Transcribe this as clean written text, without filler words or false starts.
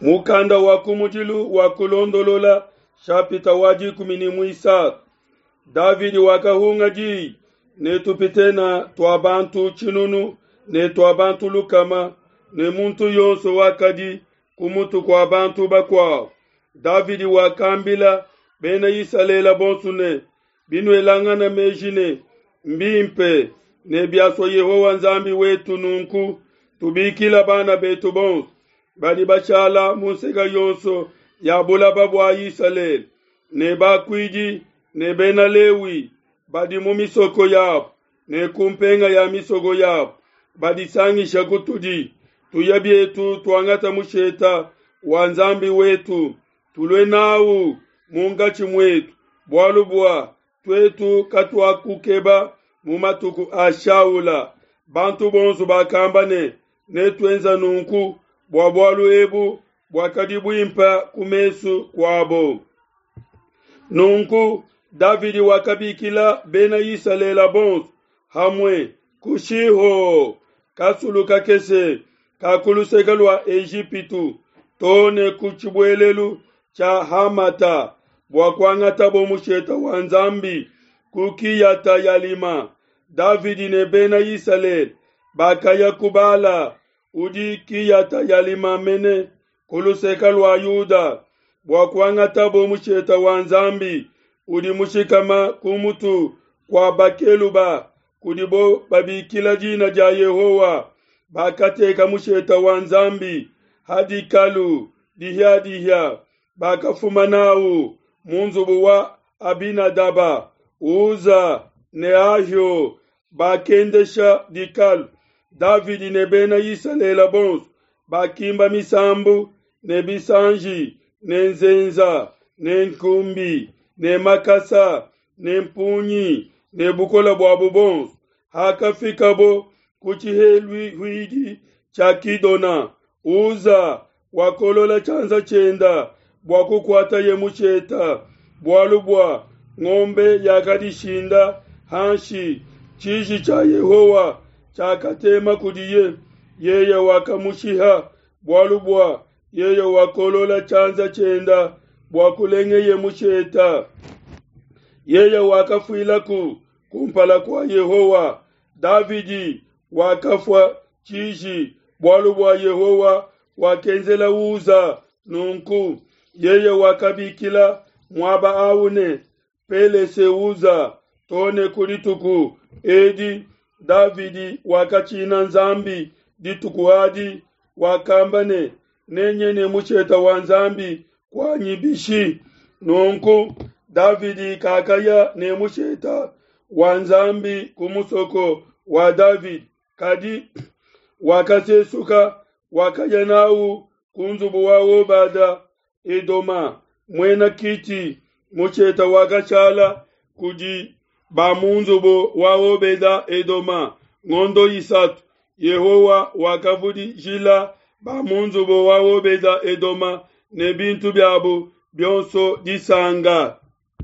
Mukanda wa kumudilu wa Kulondolola shapita wa 13. Davidi wakahunga diyi ne tupitena tua bantu tshinunu ne tua bantu lukama, ne muntu yonso wakadi ku mutu kua bantu bakuabo. Davidi wakambila Bena Isalele bonso ne, Binuelangana meji ne, Mbimpe, ne biasua Yehowa Nzambi wetu nunku, tubikila bana betu bonso badi bashala mu nseka yonso ya bulaba bua Isalele, ne bakuidi ne Bena Lewi badi mu misoko yabo ne ku mpenga ya misoko yabo, badisangisha kutudi, tuya bietu tuangata musheta wa Nzambi wetu, tulue nawu munkatshi muetu, bualu bua tuetu katuakukeba mu matuku a Shaula. Bantu bonso bakamba ne, Netuenza nunku, bua bualu ebu buakadi buimpe ku mesu kuabo. Nunku Davidi wakabikila Bena Isalele bonso hamue ku Shiho, kasulu kakese ka ku luseke lua Ejipitu, to ne ku tshibuelelu tshia Hamata, bua kuangatabo musheta wa Nzambi ku Kiyata-yalima. Davidi ne Bena Isalele bakaya ku Bala, udi Kiyata-yalima mene, ku luseke lua Yuda, bua kuangatabo musheta wa Nzambi udi mushikama ku mutu kua bakeluba, kudibo babikila dina dia Yehowa. Bakateka musheta wa Nzambi ha dikalu dihia-dihia, bakafuma n'au mu nzubu wa Abinadaba. Uza ne Ahio bakendesha dikalu. Davidi ne Bena Isalele bonso bakimba misambu ne bisanji ne nzenza ne nkumbi ne makasa ne mpungi ne bukole buabo bonso. Hakafikabo ku tshiheluhuidi tshia Kidona, Uza wakolola tshianza tshienda bua kukuataye musheta, bualu bua ngombe yakadishinda hanshi. Tshiji tshia Yehowa tshiakatema kudiye, yeye wakamushiha, bualu bua yeye wakolola tshianza tshienda bua kulengeye musheta. Yeye wakafuilaku kumpala kua Yehowa. Davidi wakafua tshiji bualu bua Yehowa wakenzela Uza nunku. Yeye wakabikila muaba au ne, Pelese-uza, to ne ku dituku edi. Davidi wakatshina Nzambi dituku adi, wakamba ne, Nenye ne musheta wa Nzambi kuanyi bishi? Nunku Davidi kakaya ne musheta wa Nzambi ku musoko wa Davidi, kadi wakasesuka, wakaya n'au ku nzubu wa Obada Edoma, muena Kiti. Musheta wakashala kudi ba mu nzubu wa Obeda Edoma ngondo isatu. Yehowa wakavudijila ba mu nzubu wa Obeda Edoma ne bintu biabo bionso disanka.